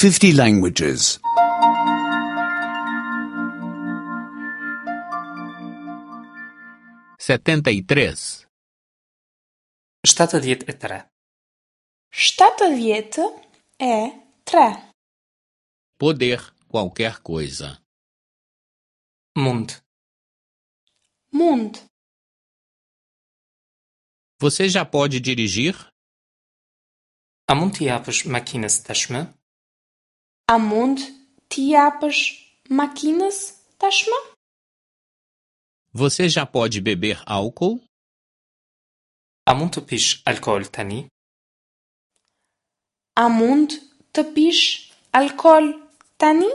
50 languages. 73. 73. 73. Poder qualquer coisa. Mund. Mund. Você já pode dirigir? A mund t'i japësh makinës tashmë? A mund t'i japësh makinës tashmë? Você já pode beber álcool? A mund të pish alkool tani? A mund të pish alkool tani?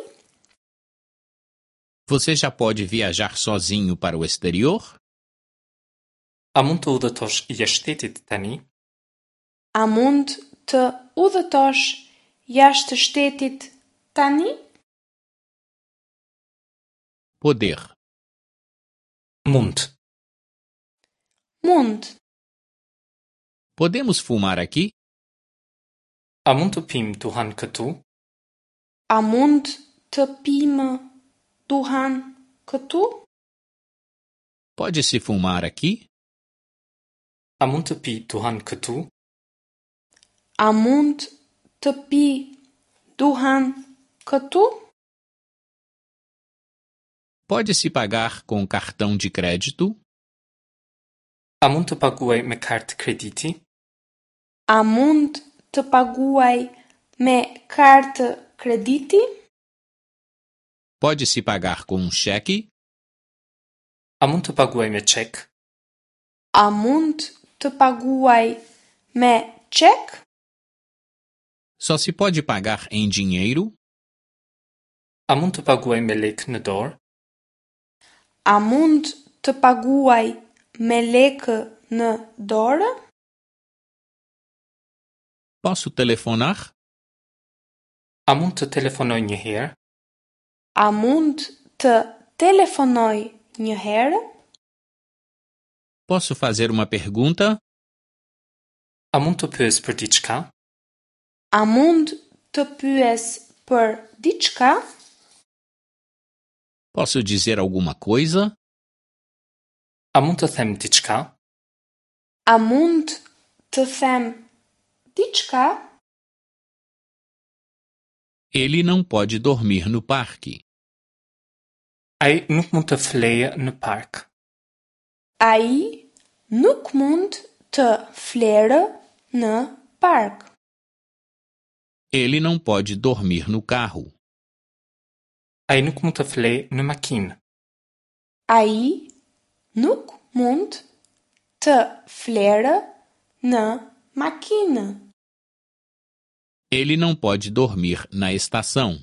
Você já pode viajar sozinho para o exterior? A mund të udhëtosh jashtë shtetit tani? A mund të udhëtosh jashtë shtetit tani? Poder. Mund. Mund. Podemos fumar aqui? A mund të pimë duhan këtu? A mund të pimë duhan këtu? Pode-se fumar aqui? A mund të pi duhan këtu? A mund të pi duhan këtu? Pode-se pagar com cartão de crédito? A mund të paguaj me kartë krediti? A mund të paguaj me kartë krediti? Pode-se pagar com um cheque? A mund të paguaj me çek? A mund të paguaj me çek? Só se pode pagar em dinheiro? A mund të paguaj me lekë në dorë? A mund të paguaj me lekë në dorë? Posso telefonar? A mund të telefonoj një herë? A mund të telefonoj një herë? Posso fazer uma pergunta? A mund të pyes për diçka? A mund të pyes për diçka? Posso dizer alguma coisa? A mund të them diçka? A mund të them diçka? Ele não pode dormir no parque. Ai nuk mund të flejë në park. Ai nuk mund të flerë në park. Ele não pode dormir no carro. Ai nuk mund të flejë në makinë. Ai nuk mund të flerë në makinë. Ele não pode dormir na estação.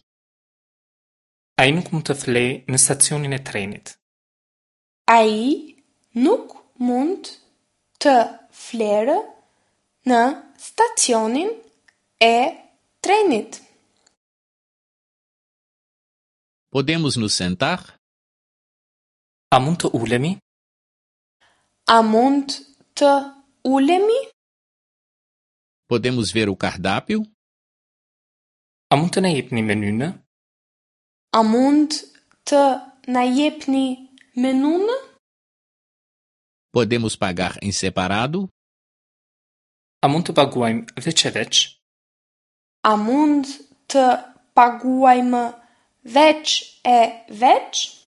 Ai nuk mund të flejë në stacionin e trenit. Ai nuk mund të flerë në stacionin e trenit. Podemos nos sentar? A mund të ulemi? A mund të ulemi? Podemos ver o cardápio? A mund të na jepni menynë? A mund të na jepni menunë? Podemos pagar em separado? A mund të paguajmë veç e veç? A mund të paguajmë veç e veç?